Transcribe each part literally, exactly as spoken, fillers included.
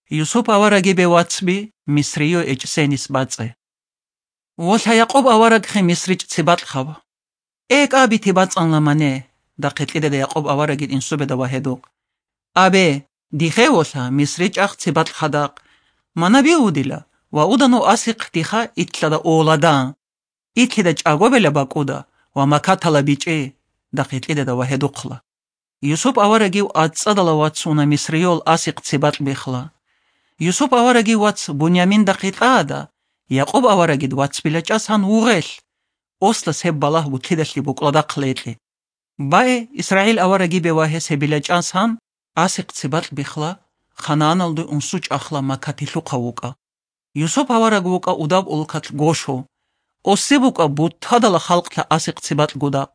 Юсуп аварагибе вацби Мисрие эчӀсенис бацӀцӀе. Волъа Якъуб аварагхъе МисричӀ ци бакьхаб. Э, кӀа бити бацӀцӀанла мане, дахъе кьидада Якъуб аварагид инсубеда ва гьедухъ. Абе, дихъе волъа, МисричӀахъ ци бакьхадахъ. Мана биудила, ва удану асихъ диха итлъада оладан. Итлъида чӀагобела бакӀуда ва макатала бичӀчӀи, дахъе кьидада ва гьедухъла. Юсуп аварагив ацӀцӀадала вацуна Мисриол асихъ ци бакь бихла. Юсуп аварагив вац Буняминдахъе кьаада, Якъуб аварагид вацбилачӀасан вугъелъ, ослас гьеб балагь бутлъидалъи букӀладахъ летӀи. Бае, Исраил аварагибе ва гьес гьебилачӀасан асихъ ци бакь бихла, Ханааналде унсучӀахъла макатилъухъав вукӀа. Юсуп авараг вукӀа удаб улкалъ гошо. Осе букӀа бутадала халкълъа асихъ ци бакь гудакъ.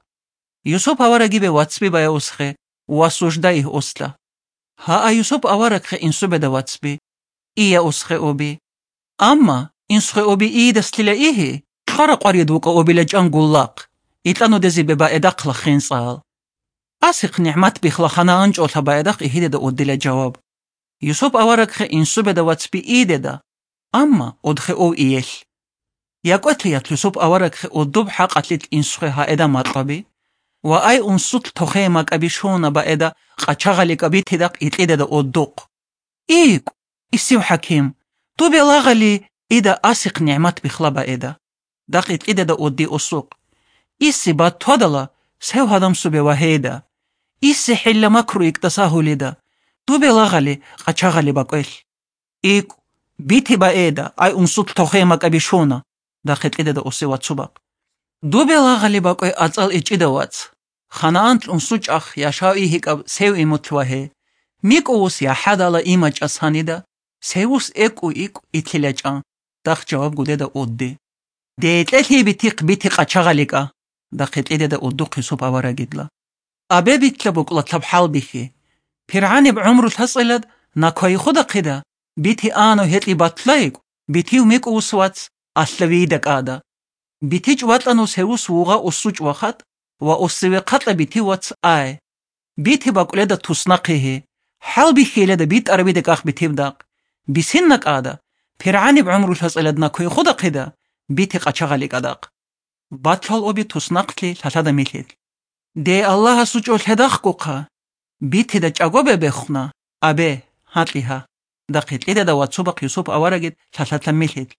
Юсуп аварагибе вацби бая осхе, ва сужда игь осла. Гьаа, Юсуп аварагхъе инсубеда вацби. Ия осхе оби. Амма инсхе оби иидаслъила игьи, хъара къварид вукӀа обилачӀан гуллахъ, итӀанудезибе баэдахъла хинцӀал. Асихъ нигӀмат бихла хана анчӀолъа баэдахъ игьидеда одила жаваб. Юсуп аварагхъе инсубеда вацби иидеда, амма одхе ов иелъ. Якъвелъиялъ Юсуп аварагхъе одуб хӀакъалъилъ инсхъе гьаэда макьаби, ва ай унсулъ тохее макӀаби шуна баэда къачагъали кӀабитидахъ икьидеда одухъ. ИкӀ, исив хӀаким, дубе лагъали ида асихъ нигӀмат бихла баэда, дахъ икьидеда одди осухъ. Иси батвадала сев гьадамсубе вагьейда, иси хӀилла макру икӀдаса гьулида, дубе лагъали къачагъали бакӀвелъ. ИкӀ, бити баэда, ай унсулъ тохее макӀаби шуна, дахъе кьидада осе вацубахъ. Дубе лагъали бакӀве ацӀал ичӀида вац. Ханаанлъ унсучӀахъ яшав игьикӀаб сев имутлъ вагье. МикӀу вус яхӀадала имачӀас гьанида, севус экӀу икӀу итлъилачӀа, дахъ жаваб гудеда удди. Декьелъи битихъ бити къачагъаликӀа, дахъе кьидеда уддухъ Юсуп аварагидла. Абе битла букӀлатаб хӀалбихьи. ПиргӀаниб гӀумру лъацӀилад наквайихъудахъида, бити ану гьекьи батлайикӀ, битив микӀу вус вац, алъавиида кӀада. БитичӀ ватӀану севус вугъа усучӀ вахат ва усиве хъатӀа битив вац ай. Бити бакӀуледа туснахъе гье, хӀалбихьиледа битӀарабида кӀах битив дакъ. Бисинна кӀада, пиргӀаниб гӀумру лъацӀилад наквайихъудахъида, бити къачагъали кӀадахъ. Батлал оби туснахълъи лъалъада милъилъ. Дей Аллагьасу чӀолъедахъгухъа, битида чӀаго бебехуна, абе, гьакьи гьа, дахъе кьидада вацубахъ Юсуп аварагид лъалъатан милъилъ.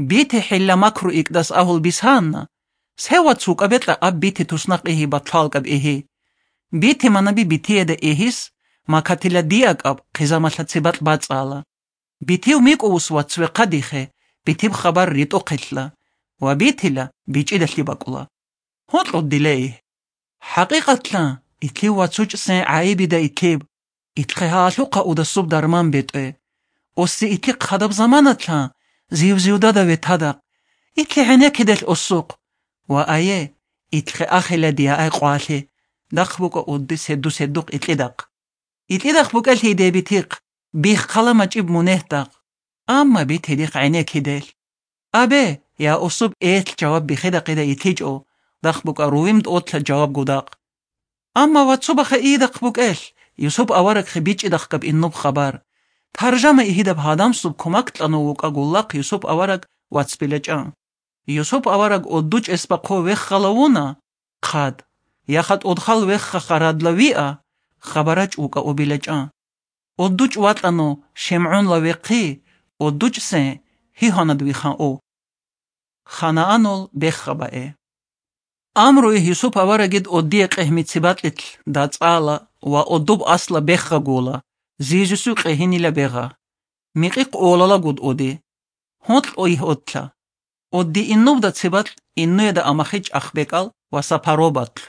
Бити хӀилла макру икӀдас агьул бисанна, сев вац вукӀаб бекьа аб бити туснахъ игьи батлалкӀаб игьи. Бити манаби битиеда игьис, макатила диакӀаб хъизамалъа цебакь бацӀала. Битив микӀу вус ва цвехъа дихе, битиб хабар ритӀухъелъа, ва битила бичӀидалъи бакӀула. Гьукьу дилей. ХӀакъикъатла, итлъив вацучӀсен гӀайибида итлъиб, итлъе гьаалъухъа удасуб дарман бетӀе. Оси итлъи хъадаб заманатлъа, зив-зивдада ветадахъ, итлъи гӀенеккиделъ осухъ, ва ае, итлъе ахила дия ай къвалъи, дахъ букӀа удди седу-седухъ итлъидахъ. Итлъидахъ букӀелъи идебитихъ, бихъала мачӀиб мунегьдахъ, амма битидихъ гӀенеккиделъ. Абе, я усуб элъ жаваб бихидахъида итлъичӀо, дахъ букӀа рувим тӀотлъа жаваб гудахъ. Амма вацубаха иидахъ букӀелъ, Юсуп аварагхъе бичӀчӀидахъгаб иннуб хабар. Таржама игьидаб гьадамсуб кумак кьанув вукӀа гуллахъ Юсуп авараг вацбилачӀа. Юсуп авараг оддучӀ эсбахъо веххала вуна, хъад, яха тӀодхал вехха харадла виа, хабарач вукӀа обилачӀа. ОддучӀ ватӀану ШемгӀунла вехъи, оддучӀсен гьигьанад вихан ов. Ханаанул бехха бае. Амруй Юсуп аварагид оддие къегьми цебакьилъ дацӀала ва оддуб асла бехха гула, зижусу къегьинила бегъа. Микъихъ олала гуд оди. Гьоркь ойгь отла. Одди иннубда цебакь иннуеда амахич ахбекӀал ва сапаробатлъ.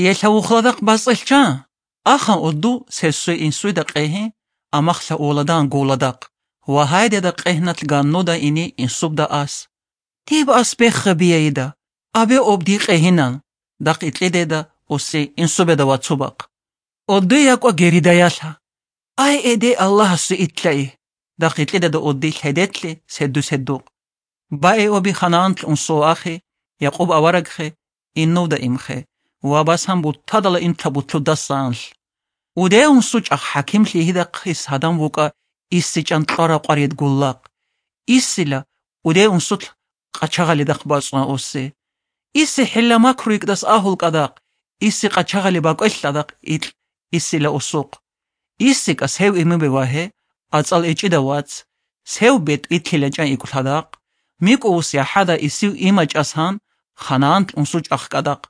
Елъа вухладахъ бацӀцӀелъ ча, аха удду сесуе инсуйда къегьи, амахлъа уладан гуладахъ, ва гьайдеда къегьналъ ганнуда ини инсубда ас. Диб ас бехха биайда, абе об ди къегьинан, дахъ итлъидеда осе инсубеда вацубахъ. Оддуй якӀва геридаялъа. Ай, эде Аллагьасу итлъай, дахъ итлъидеда одди лъедетлъи седу-седухъ. Баи оби Ханаанлъ унсо ахи, Якъуб аварагхе, иннувда имхе, ва басан буттадала интла бутлудасан анлъ. Удеун сучӀахъ хӀакимлъи гьидахъис гьадан вукӀа иссичӀан кьвара-къварид гуллахъ, иссила удей-унсулъ къачагъалидахъ бацӀцӀуна оссе. Исси хӀилла-макру йикӀдас агьул кӀадахъ, исси къачагъали бакӀвелъ ладахъ икь, иссила осухъ. ИссикӀа сев имубе вагье, ацӀал эчӀида вац, сев бетӀ итлъилачӀан икӀлъадахъ, микӀу ус яхӀада исив имачӀасан, ханаант унсучӀахъ кӀадахъ.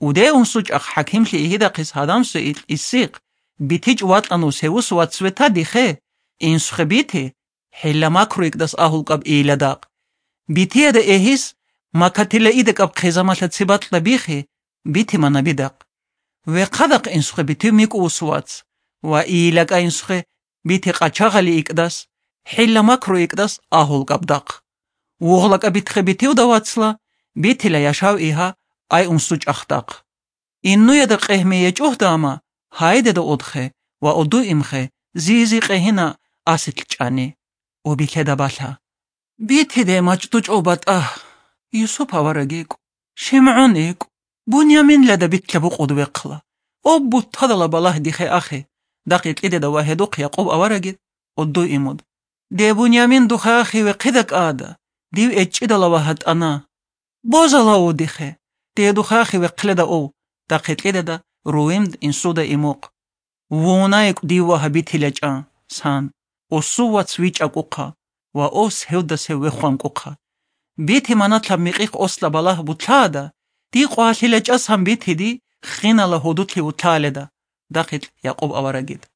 Удей-унсучӀахъ хӀакимлъи игьидахъис гьадамсо икь иссихъ, битичӀ ватӀанус гьевус вацве та дихе, инсухъе бити, хӀилла-макру йикӀдас агьулкӀаб ийиладахъ. Битияда эгьис, макатила идакӀаб хъизамалъа цебакьда бихи, битимана бидахъ. Вехъадахъ инсухъе битив микӀу ус вац, ва ийилакӀа инсухъе бити къачагъали икӀдас, хӀилла-макру икӀдас агьулкӀабдахъ. ВугълакӀа битхъе битивда вацла, битила яшав игьа ай унсучӀахдахъ. Иннуяда къегьмие чӀугьда ама, гьайдеда удхъе ва удуимхъе, зизи къегьина асилъ чӀани. Убилъеда балъа. Битиде мачӀдучӀо батӀа, Юсуп авараг йикӀ, ШимгӀун йикӀ, Буняминлада битлъа букъуд вехъла. Об буттадала балагь дихе ахи, дакъикьидеда ва гьедухъ Якъуб аварагид, удуимуд. Де Бунямин духъе ахи вехъида кӀада, див эчӀчӀидала ва гьатӀана. Бозалав дихъе, дие духъе ахи вехъледа ов, дакъикьидеда, руимд инсуда имухъ. Вуна йикӀ див вагьа битилачӀа, сан, осу вац вичӀакӀухъа ва ос гьевдасев вехъванкӀухъа. Бити манатлъаб микъихъ осла балагь бутлаада, ди къвалъилачӀа сан битиди хинала гьудулъи вутлааледа, дакъикь Якъуб аварагид.